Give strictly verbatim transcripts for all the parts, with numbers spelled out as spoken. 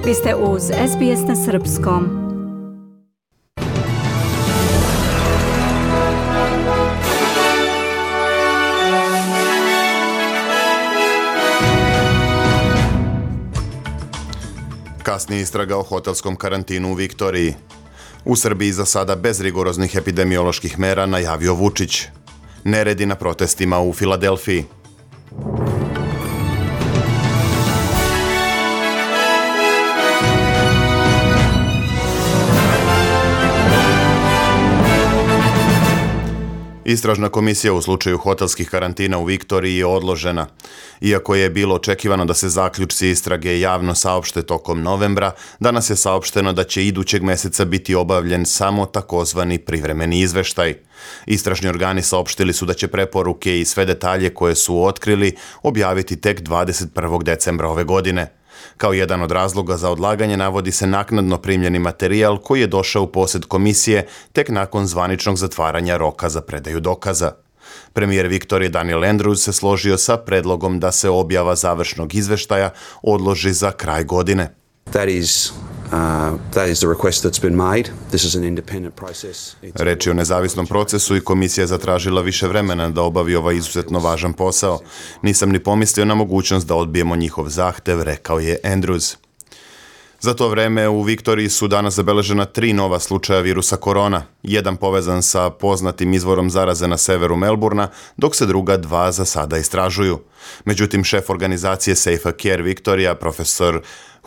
Vi ste uz S B S na srpskom. Kasnije istraga o hotelskom karantinu u Viktoriji. U Srbiji za sada bez rigoroznih epidemioloških mera najavio Vučić. Neredi na protestima u Filadelfiji. Istražna komisija u slučaju hotelskih karantina u Viktoriji je odložena. Iako je bilo očekivano da se zaključci istrage javno saopšte tokom novembra, danas je saopšteno da će idućeg meseca biti obavljen samo takozvani privremeni izveštaj. Istražni organi saopštili su da će preporuke i sve detalje koje su otkrili objaviti tek dvadeset prvog decembra ove godine. Kao jedan od razloga za odlaganje navodi se naknadno primljeni materijal koji je došao u posjed komisije tek nakon zvaničnog zatvaranja roka za predaju dokaza. Premijer Viktorije Daniel Andrews se složio sa predlogom da se objava završnog izveštaja odloži za kraj godine. That is Uh, that is the request that's been made. This is an independent process. Reč je o nezavisnom procesu i komisija je zatražila više vremena da obavi ovaj izuzetno važan posao. Nisam ni pomislio na mogućnost da odbijemo njihov zahtev, rekao je Andrews. Za to vreme u Viktoriji su danas zabeležena tri nova slučaja virusa korona. Jedan povezan sa poznatim izvorom zaraze na severu Melburna, dok se druga dva za sada istražuju. Međutim, šef organizacije Safe Care Viktorija, profesor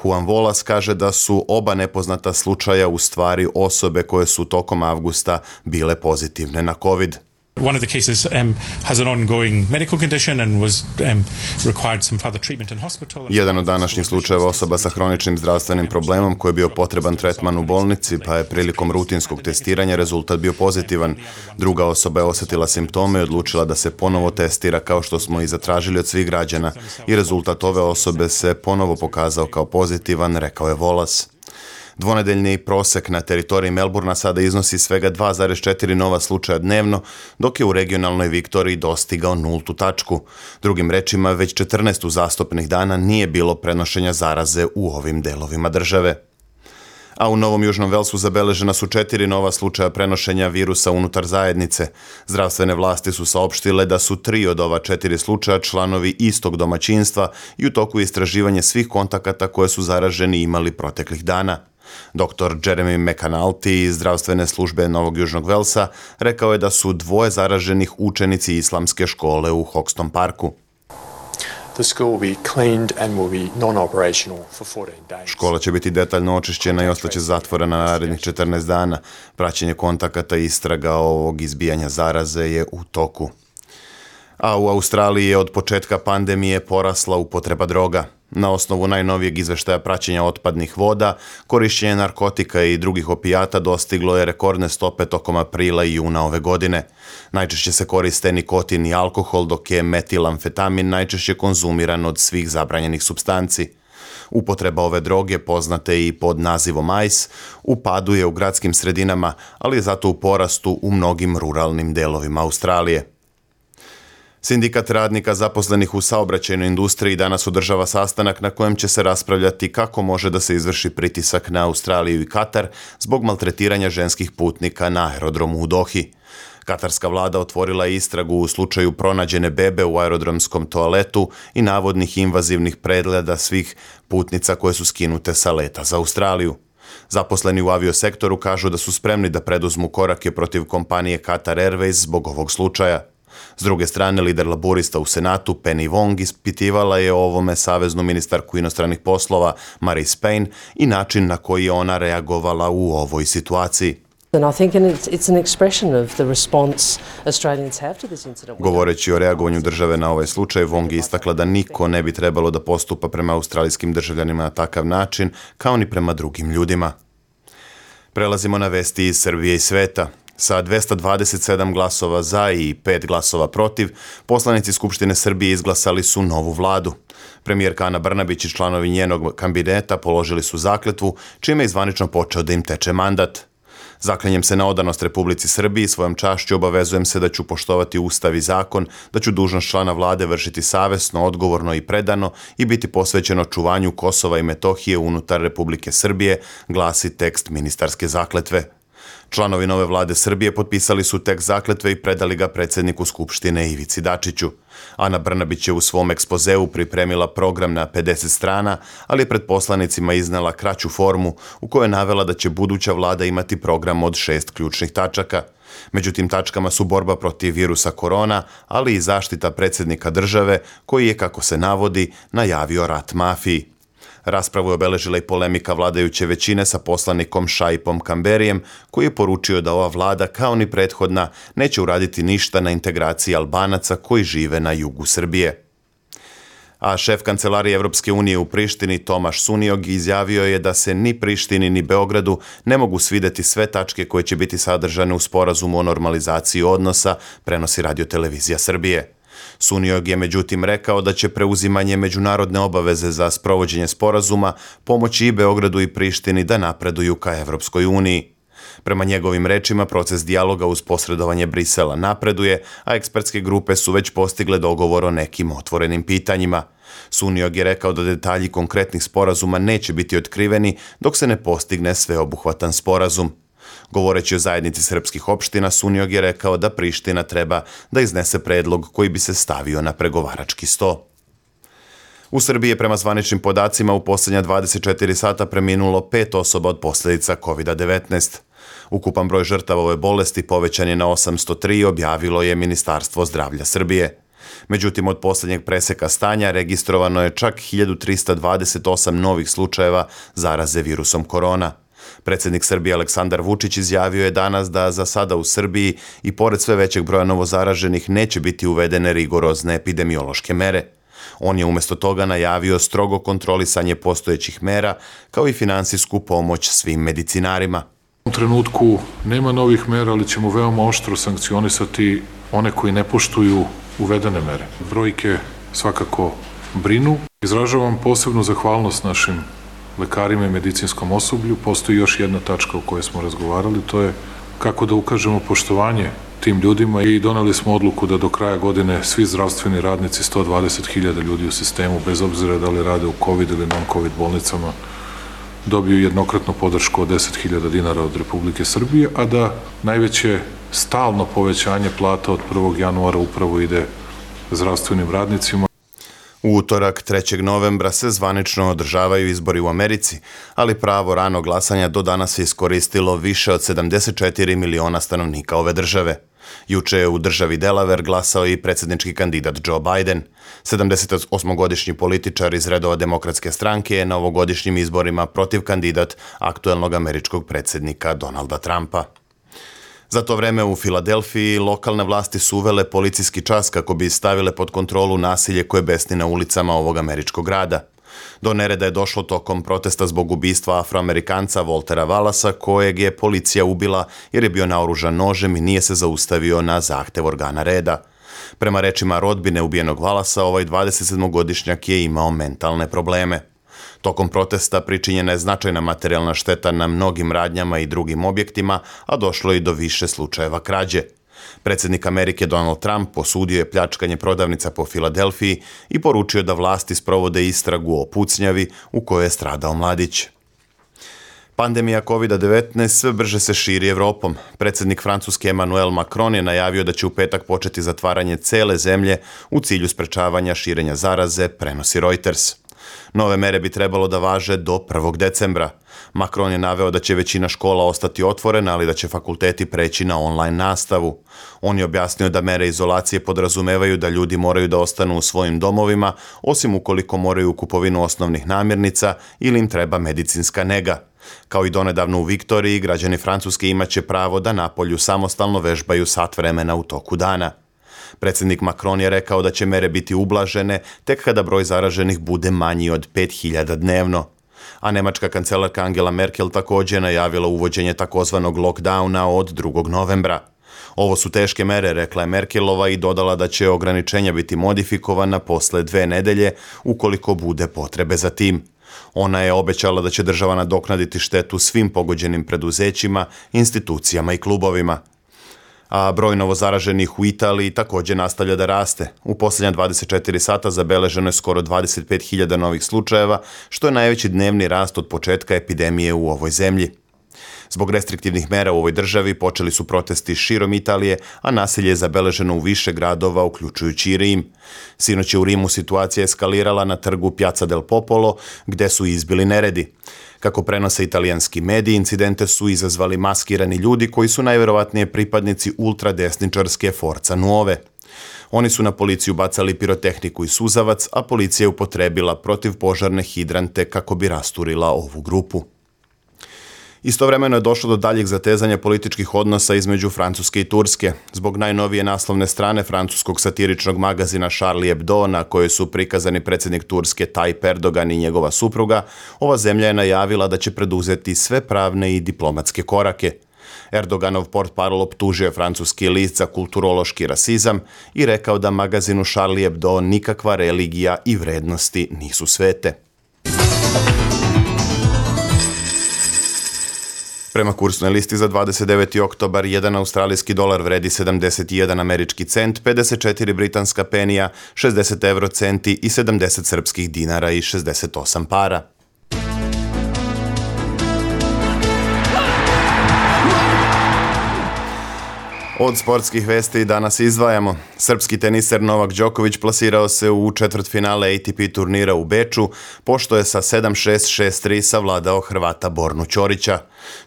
Juan Volas, kaže da su oba nepoznata slučaja u stvari osobe koje su tokom avgusta bile pozitivne na COVID. One of the cases um, has an ongoing medical condition and was um, required some further treatment in hospital. Jedan od današnjih slučajeva osoba sa hroničnim zdravstvenim problemom koji je bio potreban tretman u bolnici, pa je prilikom rutinskog testiranja rezultat bio pozitivan. Druga osoba je osjetila simptome i odlučila da se ponovo testira kao što smo i zatražili od svih građana i rezultat ove osobe se ponovo pokazao kao pozitivan, rekao je Volas. Dvonedeljni prosek na teritoriji Melburna sada iznosi svega dva zarez četiri nova slučaja dnevno, dok je u regionalnoj Viktoriji dostigao nultu tačku. Drugim rečima, već četrnaest uzastopnih dana nije bilo prenošenja zaraze u ovim delovima države. A u Novom Južnom Velsu zabeležena su četiri nova slučaja prenošenja virusa unutar zajednice. Zdravstvene vlasti su saopštile da su tri od ova četiri slučaja članovi istog domaćinstva i u toku istraživanja svih kontakata koje su zaraženi imali proteklih dana. Doktor Jeremy McAnulty iz zdravstvene službe Novog Južnog Velsa rekao je da su dvoje zaraženih učenici islamske škole u Hoxton Parku. Škola će biti detaljno očišćena i ostaće zatvorena na narednih četrnaest dana. Praćenje kontakata i istraga ovog izbijanja zaraze je u toku. A u Australiji je od početka pandemije porasla upotreba droga. Na osnovu najnovijeg izveštaja praćenja otpadnih voda, korišćenje narkotika i drugih opijata dostiglo je rekordne stope tokom aprila i juna ove godine. Najčešće se koriste nikotin i alkohol, dok je metilamfetamin najčešće konzumiran od svih zabranjenih supstanci. Upotreba ove droge, poznate i pod nazivom ice, u padu je u gradskim sredinama, ali je zato u porastu u mnogim ruralnim delovima Australije. Sindikat radnika zaposlenih u saobraćajnoj industriji danas održava sastanak na kojem će se raspravljati kako može da se izvrši pritisak na Australiju i Katar zbog maltretiranja ženskih putnika na aerodromu u Dohi. Katarska vlada otvorila je istragu u slučaju pronađene bebe u aerodromskom toaletu i navodnih invazivnih pregleda svih putnica koje su skinute sa leta za Australiju. Zaposleni u aviosektoru kažu da su spremni da preduzmu korake protiv kompanije Qatar Airways zbog ovog slučaja. S druge strane, lider laburista u Senatu, Penny Wong, ispitivala je o ovome saveznu ministarku inostranih poslova Marise Payne i način na koji je ona reagovala u ovoj situaciji. Govoreći o reagovanju države na ovaj slučaj, Wong je istakla da niko ne bi trebalo da postupa prema australijskim državljanima na takav način, kao ni prema drugim ljudima. Prelazimo na vesti iz Srbije i sveta. Sa dvesta dvadeset sedam glasova za i pet glasova protiv, poslanici Skupštine Srbije izglasali su novu vladu. Premijerka Ana Brnabić i članovi njenog kabineta položili su zakletvu, čime je zvanično počeo da im teče mandat. Zaklinjem se na odanost Republici Srbiji, svojom čašću obavezujem se da ću poštovati Ustav i zakon, da ću dužnost člana vlade vršiti savesno, odgovorno i predano i biti posvećeno čuvanju Kosova i Metohije unutar Republike Srbije, glasi tekst ministarske zakletve. Članovi nove vlade Srbije potpisali su tekst zakletve i predali ga predsjedniku Skupštine Ivici Dačiću. Ana Brnabić je u svom ekspozeu pripremila program na pedeset strana, ali je pred poslanicima iznela kraću formu u kojoj je navela da će buduća vlada imati program od šest ključnih tačaka. Među tim tačkama su borba protiv virusa korona, ali i zaštita predsjednika države koji je, kako se navodi, najavio rat mafiji. Raspravu je obeležila i polemika vladajuće većine sa poslanikom Šaipom Kamberijem, koji je poručio da ova vlada, kao ni prethodna, neće uraditi ništa na integraciji Albanaca koji žive na jugu Srbije. A šef kancelarije Evropske unije u Prištini, Tomaš Suniog, izjavio je da se ni Prištini ni Beogradu ne mogu svideti sve tačke koje će biti sadržane u sporazumu o normalizaciji odnosa, prenosi Radio-televizija Srbije. Suniog je međutim rekao da će preuzimanje međunarodne obaveze za sprovođenje sporazuma pomoći i Beogradu i Prištini da napreduju ka Evropskoj uniji. Prema njegovim rečima, proces dijaloga uz posredovanje Brisela napreduje, a ekspertske grupe su već postigle dogovor o nekim otvorenim pitanjima. Suniog je rekao da detalji konkretnih sporazuma neće biti otkriveni dok se ne postigne sveobuhvatan sporazum. Govoreći o zajednici srpskih opština, Suniog je rekao da Priština treba da iznese predlog koji bi se stavio na pregovarački sto. U Srbiji je prema zvaničnim podacima u posljednja dvadeset četiri sata preminulo pet osoba od posljedica kovid devetnaest. Ukupan broj žrtava ove bolesti povećan je na osamsto tri, objavilo je Ministarstvo zdravlja Srbije. Međutim, od posljednjeg preseka stanja registrovano je čak hiljadu trista dvadeset osam novih slučajeva zaraze virusom korona. Predsjednik Srbije Aleksandar Vučić izjavio je danas da za sada u Srbiji i pored sve većeg broja novozaraženih neće biti uvedene rigorozne epidemiološke mere. On je umjesto toga najavio strogo kontrolisanje postojećih mera kao i finansijsku pomoć svim medicinarima. U trenutku nema novih mera, ali ćemo veoma oštro sankcionisati one koji ne poštuju uvedene mere. Brojke svakako brinu. Izražavam posebnu zahvalnost našim lekarima i medicinskom osoblju. Postoji još jedna tačka o kojoj smo razgovarali, to je kako da ukažemo poštovanje tim ljudima i doneli smo odluku da do kraja godine svi zdravstveni radnici, sto dvadeset hiljada ljudi u sistemu, bez obzira da li rade u COVID ili non-COVID bolnicama, dobiju jednokratnu podršku od deset hiljada dinara od Republike Srbije, a da najveće stalno povećanje plata od prvog januara upravo ide zdravstvenim radnicima. U utorak, trećeg novembra, se zvanično održavaju izbori u Americi, ali pravo rano glasanja do danas je iskoristilo više od sedamdeset četiri miliona stanovnika ove države. Juče je u državi Delaware glasao i predsjednički kandidat Joe Biden. sedamdesetosmogodišnji političar iz redova Demokratske stranke je na ovogodišnjim izborima protiv kandidat aktuelnog američkog predsjednika Donalda Trumpa. Za to vreme u Filadelfiji lokalne vlasti su uvele policijski čas kako bi stavile pod kontrolu nasilje koje besni na ulicama ovog američkog grada. Do nereda je došlo tokom protesta zbog ubistva Afroamerikanca Waltera Wallacea, kojeg je policija ubila jer je bio naoružan nožem i nije se zaustavio na zahtev organa reda. Prema rečima rodbine ubijenog Wallacea, ovaj dvadesetsedmogodišnjak je imao mentalne probleme. Tokom protesta pričinjena je značajna materijalna šteta na mnogim radnjama i drugim objektima, a došlo je i do više slučajeva krađe. Predsjednik Amerike Donald Trump osudio je pljačkanje prodavnica po Filadelfiji i poručio da vlasti sprovode istragu o pucnjavi u kojoj je stradao mladić. Pandemija kovid devetnaest sve brže se širi Evropom. Predsjednik Francuske Emmanuel Macron je najavio da će u petak početi zatvaranje cele zemlje u cilju sprečavanja širenja zaraze, prenosi Reuters. Nove mere bi trebalo da važe do prvog decembra. Macron je naveo da će većina škola ostati otvorena, ali da će fakulteti preći na online nastavu. On je objasnio da mere izolacije podrazumevaju da ljudi moraju da ostanu u svojim domovima, osim ukoliko moraju u kupovinu osnovnih namirnica ili im treba medicinska nega. Kao i donedavno u Viktoriji, građani Francuske imaće pravo da napolju samostalno vežbaju sat vremena u toku dana. Predsjednik Macron je rekao da će mere biti ublažene tek kada broj zaraženih bude manji od pet hiljada dnevno. A nemačka kancelarka Angela Merkel također je najavila uvođenje takozvanog lockdowna od drugog novembra. Ovo su teške mere, rekla je Merkelova i dodala da će ograničenja biti modifikovana posle dve nedelje ukoliko bude potrebe za tim. Ona je obećala da će država nadoknaditi štetu svim pogođenim preduzećima, institucijama i klubovima. A broj novozaraženih u Italiji također nastavlja da raste. U posljednja dvadeset četiri sata zabeleženo je skoro dvadeset pet hiljada novih slučajeva, što je najveći dnevni rast od početka epidemije u ovoj zemlji. Zbog restriktivnih mera u ovoj državi počeli su protesti širom Italije, a nasilje je zabeleženo u više gradova, uključujući i Rim. Sinoć je u Rimu situacija eskalirala na trgu Piazza del Popolo, gde su izbili neredi. Kako prenose italijanski mediji, incidente su izazvali maskirani ljudi koji su najverovatnije pripadnici ultradesničarske Forza Nuove. Oni su na policiju bacali pirotehniku i suzavac, a policija je upotrebila protivpožarne hidrante kako bi rasturila ovu grupu. Istovremeno je došlo do daljeg zatezanja političkih odnosa između Francuske i Turske. Zbog najnovije naslovne strane francuskog satiričnog magazina Charlie Hebdo, na kojoj su prikazani predsjednik Turske Tayyip Erdogan i njegova supruga, ova zemlja je najavila da će preduzeti sve pravne i diplomatske korake. Erdoganov portparol optužio je francuski list za kulturološki rasizam i rekao da magazinu Charlie Hebdo nikakva religija i vrednosti nisu svete. Prema kursnoj listi za dvadeset deveti oktobar, jedan australijski dolar vredi sedamdeset jedan američki cent, pedeset četiri britanska penija, šezdeset euro centi i sedamdeset srpskih dinara i šezdeset osam para. Od sportskih vesti danas izdvajamo. Srpski teniser Novak Đoković plasirao se u četvrtfinale A T P turnira u Beču, pošto je sa sedam šest šest tri savladao Hrvata Bornu Ćorića.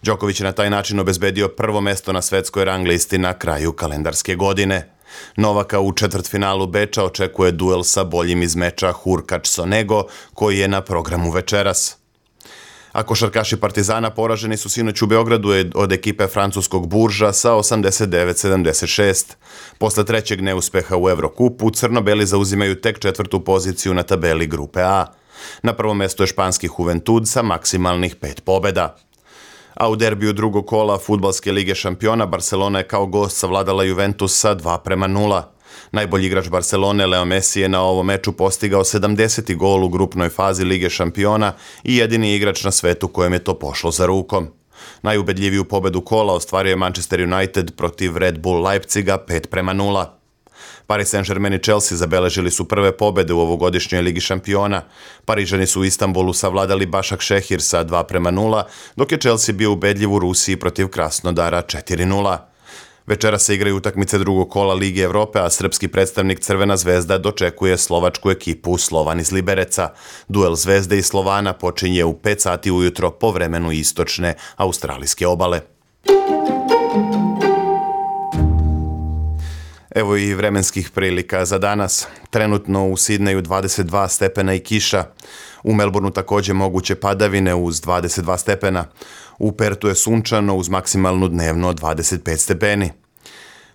Đoković je na taj način obezbedio prvo mesto na svetskoj rang listi na kraju kalendarske godine. Novaka u četvrtfinalu Beča očekuje duel sa boljim iz meča Hurkač-Sonego, koji je na programu večeras. A košarkaši Partizana poraženi su sinoć u Beogradu od ekipe francuskog Burža sa osamdeset devet sedamdeset šest. Posle trećeg neuspeha u Evrokupu, crno-beli zauzimaju tek četvrtu poziciju na tabeli grupe A. Na prvom mestu je španski Juventud sa maksimalnih pet pobjeda. A u derbiju drugog kola Fudbalske lige šampiona Barcelona je kao gost savladala Juventus sa dva prema nula. Najbolji igrač Barcelone, Leo Messi, je na ovom meču postigao sedamdeseti gol u grupnoj fazi Lige šampiona i jedini igrač na svetu kojem je to pošlo za rukom. Najubedljiviju pobedu kola ostvario je Manchester United protiv Red Bull Leipziga pet prema nula. Paris Saint-Germain i Chelsea zabeležili su prve pobede u ovogodišnjoj Ligi šampiona. Parižani su u Istanbulu savladali Başak Šehir sa dva prema nula, dok je Chelsea bio ubedljiv u Rusiji protiv Krasnodara četiri nula. Večera se igraju utakmice drugog kola Lige Evrope, a srpski predstavnik Crvena zvezda dočekuje slovačku ekipu Slovan iz Libereca. Duel Zvezde i Slovana počinje u pet sati ujutro po vremenu istočne australijske obale. Evo i vremenskih prilika za danas. Trenutno u Sidneju dvadeset dva stepena i kiša. U Melbourneu također moguće padavine uz dvadeset dva stepena. U Pertu je sunčano uz maksimalnu dnevno dvadeset pet stepeni.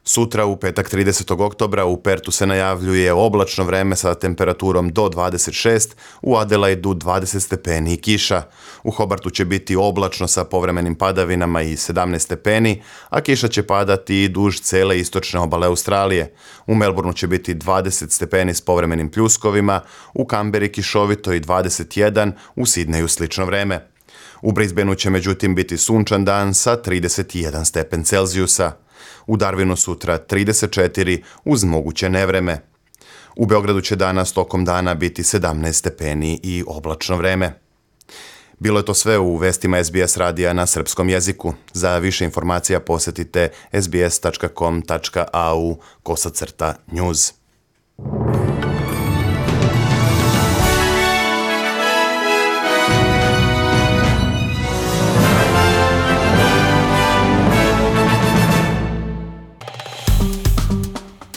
Sutra u petak tridesetog oktobra u Pertu se najavljuje oblačno vreme sa temperaturom do dvadeset šest, u Adelaidu dvadeset stepeni i kiša. U Hobartu će biti oblačno sa povremenim padavinama i sedamnaest stepeni, a kiša će padati i duž cele istočne obale Australije. U Melbourneu će biti dvadeset stepeni s povremenim pljuskovima, u Kamberi kišovito i dvadeset jedan, u Sidneju slično vreme. U Brisbaneu će međutim biti sunčan dan sa trideset jedan stepen Celzijusa. U Darwinu sutra trideset četiri uz moguće nevreme. U Beogradu će danas tokom dana biti sedamnaest stepeni i oblačno vreme. Bilo je to sve u vestima S B S radija na srpskom jeziku. Za više informacija posjetite s b s tačka com tačka a u kosacrta news.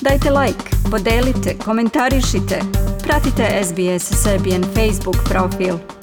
Dajte like, podelite, komentarišite. Pratite S B S Serbian Facebook profil.